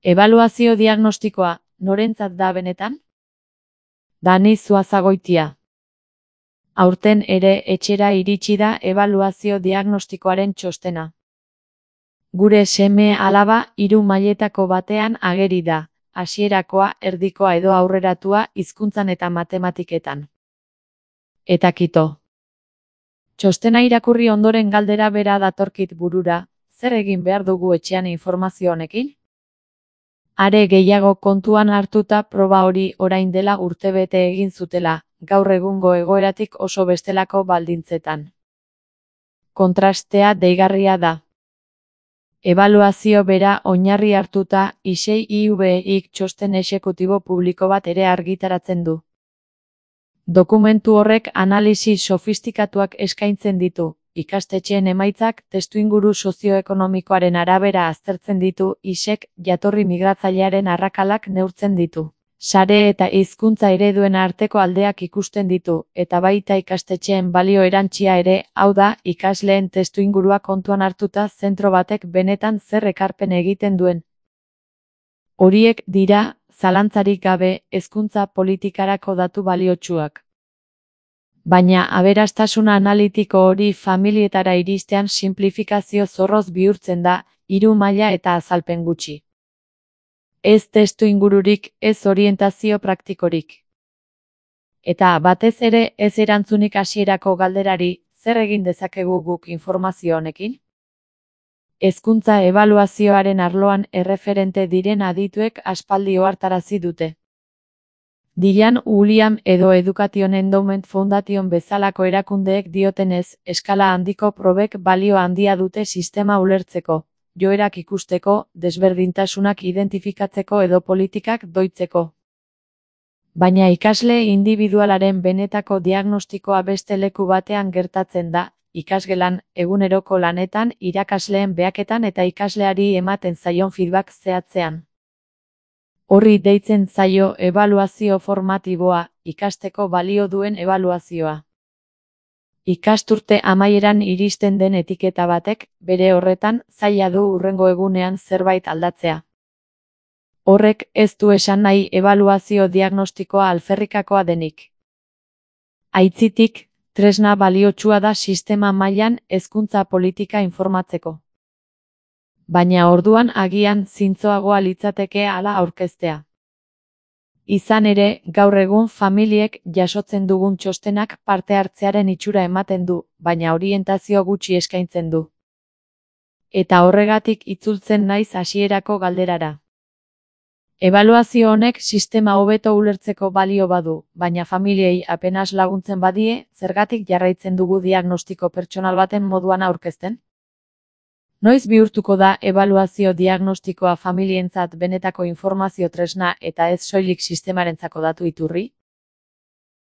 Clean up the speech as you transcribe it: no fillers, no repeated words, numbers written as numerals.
Ebaluazio diagnostikoa, norentzat da benetan? Dani Zuazagoitia. Aurten ere etxera iritsi da ebaluazio diagnostikoaren txostena. Gure seme-alaba 3 mailetako batean ageri da, hasierakoa, erdikoa edo aurreratua hizkuntzan eta matematiketan. Eta kito. Txostena irakurri ondoren galdera bera datorkit burura, zer egin behar dugu etxean informazio honekin? Are gehiago kontuan hartuta proba hori orain dela urtebete egin zutela, gaur egungo egoeratik oso bestelako baldintzetan. Kontrastea deigarria da. Ebaluazio bera oinarri hartuta, ISEI-IVEIk txosten exekutibo publiko bat ere argitaratzen du. Dokumentu horrek analisi sofistikatuak eskaintzen ditu, ikastetxeen emaitzak testuinguru sozioekonomikoaren arabera aztertzen ditu, ISEk jatorri migratzailearen arrakalak neurtzen ditu. Sare eta hizkuntza ereduen arteko aldeak ikusten ditu, eta baita ikastetxeen balio erantsia ere, hau da, ikasleen testuingurua kontuan hartuta zentro batek benetan zer ekarpen egiten duen. Horiek dira, zalantzarik gabe, hezkuntza politikarako datu baliotsuak. Baina aberastasuna analitiko hori familietara iristean sinplifikazio zorroz bihurtzen da, 3 maila eta azalpen gutxi. Ez testuingururik, ez orientazio praktikorik. Eta batez ere ez erantzunik hasierako galderari, zer egin dezakegu guk informazio honekin? Hezkuntza ebaluazioaren arloan erreferente diren adituek aspaldi ohartarazi dute. Diane William edo Education Endowment Foundation bezalako erakundeek diotenez, eskala handiko probek balio handia dute sistema ulertzeko, joerak ikusteko, desberdintasunak identifikatzeko edo politikak doitzeko. Baina ikasle indibidualaren benetako diagnostikoa beste leku batean gertatzen da, ikasgelan, eguneroko lanetan, irakasleen behaketan eta ikasleari ematen zaion feedback zehatzean. Horri deitzen zaio ebaluazio formatiboa, ikasteko balio duen ebaluazioa. Ikasturte amaieran iristen den etiketa batek, bere horretan, zaila du hurrengo egunean zerbait aldatzea. Horrek ez du esan nahi ebaluazio diagnostikoa alferrikakoa denik. Aitzitik, tresna baliotsua da sistema mailan hezkuntza politika informatzeko. Baina orduan agian zintzoagoa litzateke hala aurkeztea. Izan ere, gaur egun familiek jasotzen dugun txostenak parte hartzearen itxura ematen du, baina orientazio gutxi eskaintzen du. Eta horregatik itzultzen naiz hasierako galderara. Ebaluazio honek sistema hobeto ulertzeko balio badu, baina familiei apenas laguntzen badie, zergatik jarraitzen dugu diagnostiko pertsonal baten moduan aurkezten? Noiz bihurtuko da ebaluazio diagnostikoa familientzat benetako informazio tresna eta ez soilik sistemarentzako datu iturri?